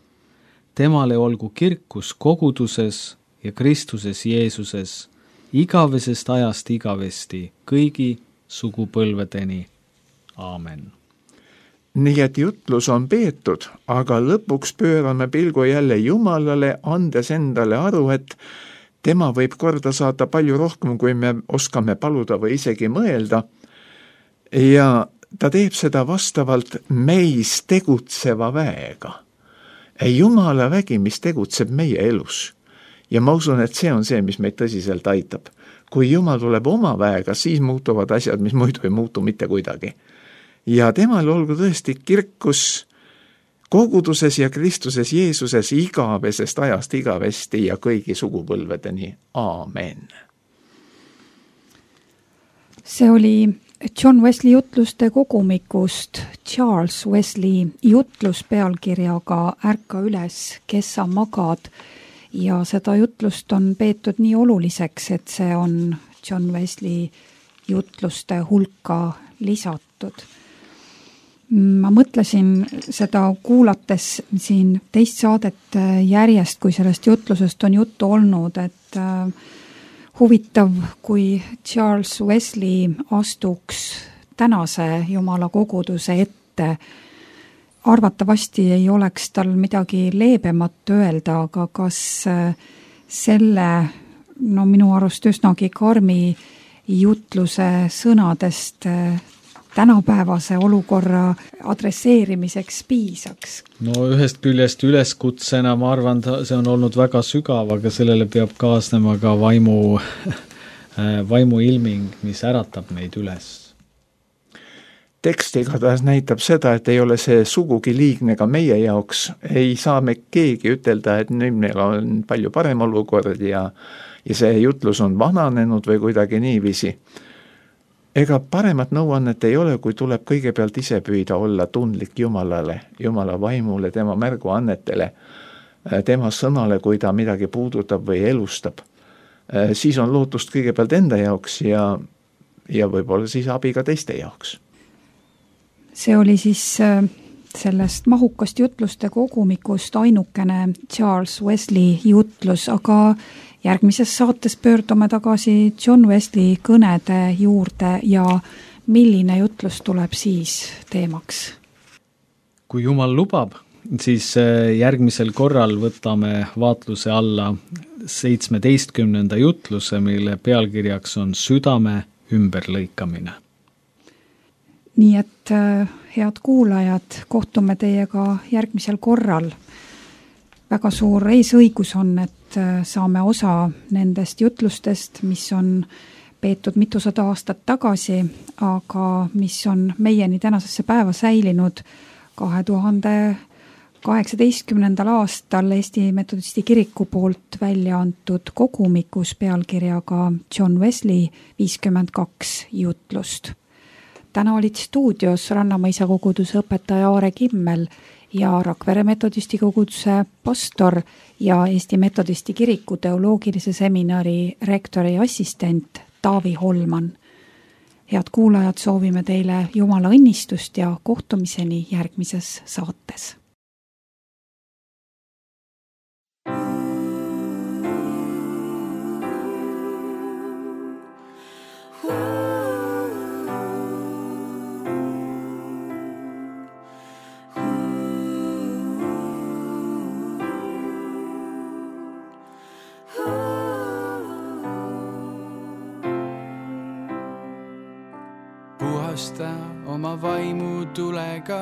temale olgu kirkus koguduses ja Kristuses Jeesuses, igavesest ajast igavesti, kõigi sugupõlvedeni. Aamen. Nii et jutlus on peetud, aga lõpuks pöörame pilgu jälle Jumalale, andes endale aru, et tema võib korda saata palju rohkem, kui me oskame paluda või isegi mõelda. Ja ta teeb seda vastavalt meis tegutseva väega. Jumala vägi, mis tegutseb meie elus. Ja ma usun, et see on see, mis meid tõsiselt aitab. Kui Jumal tuleb oma väega, siis muutuvad asjad, mis muidu ei muutu mitte kuidagi. Ja temal olgu tõesti kirkus koguduses ja Kristuses Jeesuses igavesest ajast igavesti ja kõigi sugupõlvedeni. Aamen. See oli John Wesley jutluste kogumikust Charles Wesley jutlus pealkirjaga Ärka üles, kes sa magad. Ja seda jutlust on peetud nii oluliseks, et see on John Wesley jutluste hulka lisatud. Ma mõtlesin seda kuulates siin teist saadet järjest, kui sellest jutlusest on juttu olnud, et huvitav, kui Charles Wesley astuks tänase Jumala koguduse ette. Arvatavasti ei oleks tal midagi leebemat öelda, aga kas selle, minu arust üsnagi karmi jutluse sõnadest tänapäevase olukorra adresseerimiseks piisaks? No ühest küljest üleskutsena ma arvan, see on olnud väga sügav, aga sellele peab kaasnema ka vaimu ilming, mis äratab meid üles. Tekst igatahes näitab seda, et ei ole see sugugi liigne ka meie jaoks. Ei saa me keegi ütelda, et nüüd meil on palju parem olukord ja see jutlus on vananenud või kuidagi niiviisi. Ega paremat nõuannet ei ole, kui tuleb kõigepealt ise püüda olla tundlik Jumalale, Jumala vaimule, tema märguannetele, tema sõnale, kui ta midagi puudutab või elustab. Siis on lootust kõigepealt enda jaoks ja võib-olla siis abi ka teiste jaoks. See oli siis sellest mahukast jutluste kogumikust ainukene Charles Wesley jutlus, aga järgmises saates pöördume tagasi John Wesley kõnede juurde ja milline jutlus tuleb siis teemaks? Kui Jumal lubab, siis järgmisel korral võtame vaatluse alla 17. jutluse, mille pealkirjaks on Südame ümberlõikamine. Nii et head kuulajad, kohtume teiega järgmisel korral. Väga suur eesõigus on, et saame osa nendest jutlustest, mis on peetud mitusada aastat tagasi, aga mis on meieni tänasesse päeva säilinud 2018. aastal Eesti Metodisti kiriku poolt välja antud kogumikus pealkirjaga John Wesley 52 jutlust. Täna olid stuudios Rannamõisa koguduse õpetaja Aare Kimmel ja Rakvere Metodisti koguduse pastor ja Eesti Metodisti kiriku teoloogilise seminari rektori assistent Taavi Holman. Head kuulajad, soovime teile Jumala õnnistust ja kohtumiseni järgmises saates. Puhasta oma vaimu tulega,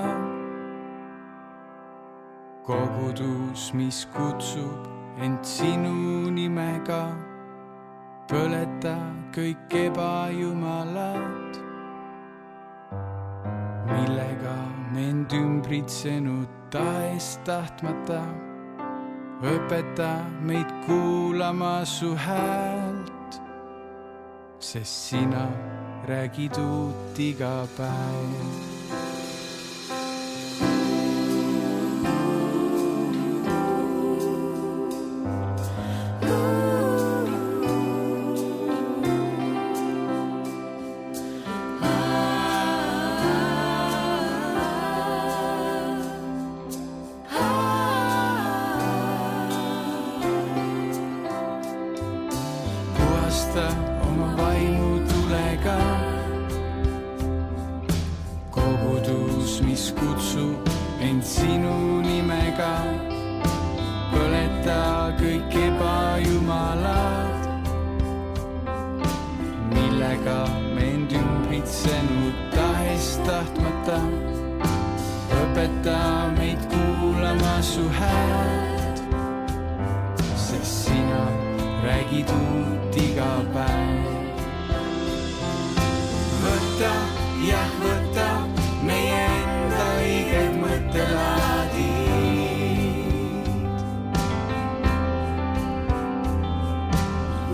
kogudus, mis kutsub end sinu nimega. Põleta kõik ebajumalad, millega mind ümbritsenud tahes tahtmata. Õpeta meid kuulama su häält, sest sina räägid uut iga päev. Puhasta oma vaimu tulega, kogudus, mis kutsub end sinu nimega. Põleta kõik ebajumalad, millega mind ümbritsenud tahes tahtmata. Õpeta meid kuulama su häält, sest sina räägid uut iga päev. Võta, jah võta meie enda õiged mõttelaadid.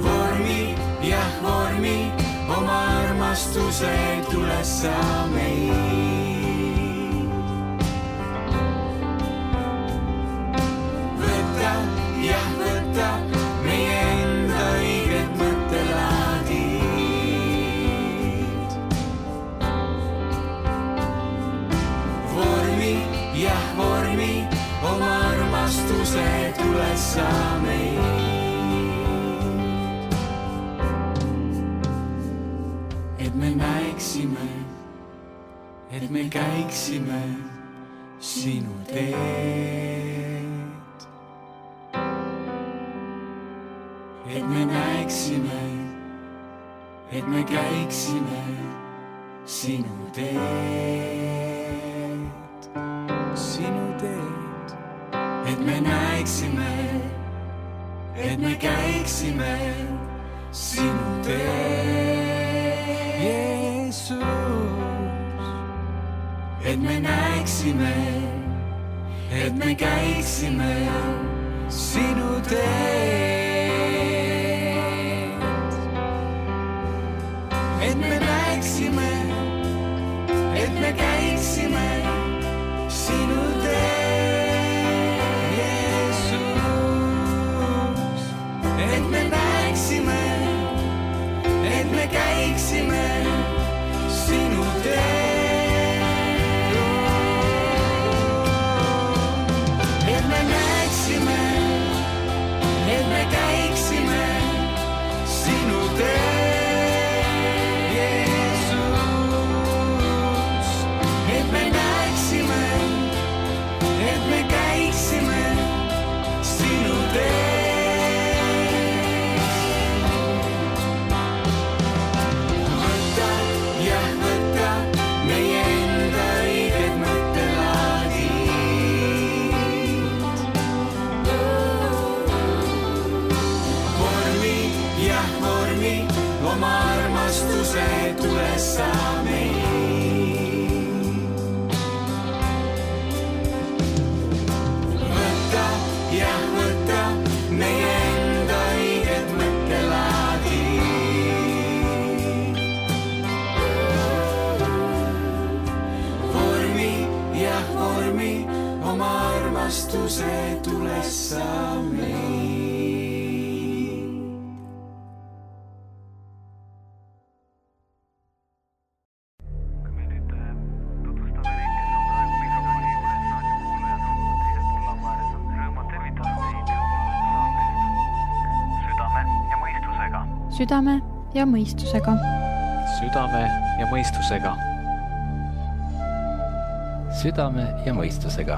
Vormi, jah vormi oma armastuse tules sa meid. Võta, jah võta meie enda õiged mõttelaadid. Vormi, jah vormi oma armastuse tules sa meid. et me käiksime sinu teed. Et me näeksime, et me käiksime sinu teed, sinu teed. Et me näeksime, et me käiksime sinu teed, Jeesus. Et me näeksime, et me käiksime sinu teed. Et me näeksime, et me käiksime sinu teed, Jeesus. Et me näeksime, et me käiksime sinu teed. Et me näeksime, et me käiksime sinu teed, Jeesus. Et me näeksime, et me käiksime sinu teed. Võta, jah, võta meie enda õiged mõttelaadid. Vormi, jah, vormi oma armastuse tulessa meid. Võta, jah, võta meie enda õiged mõttelaadid. Vormi, jah, vormi oma armastuse tulessa meid. Kui me nüüd tutvustame neid, kes on praegu mikrofoni juures, raadiokuulajad on teisel pool laua ääres, on rõõm tervitada teid saatest Südame ja mõistusega. südame ja mõistusega. Südame ja mõistusega. Südame ja mõistusega.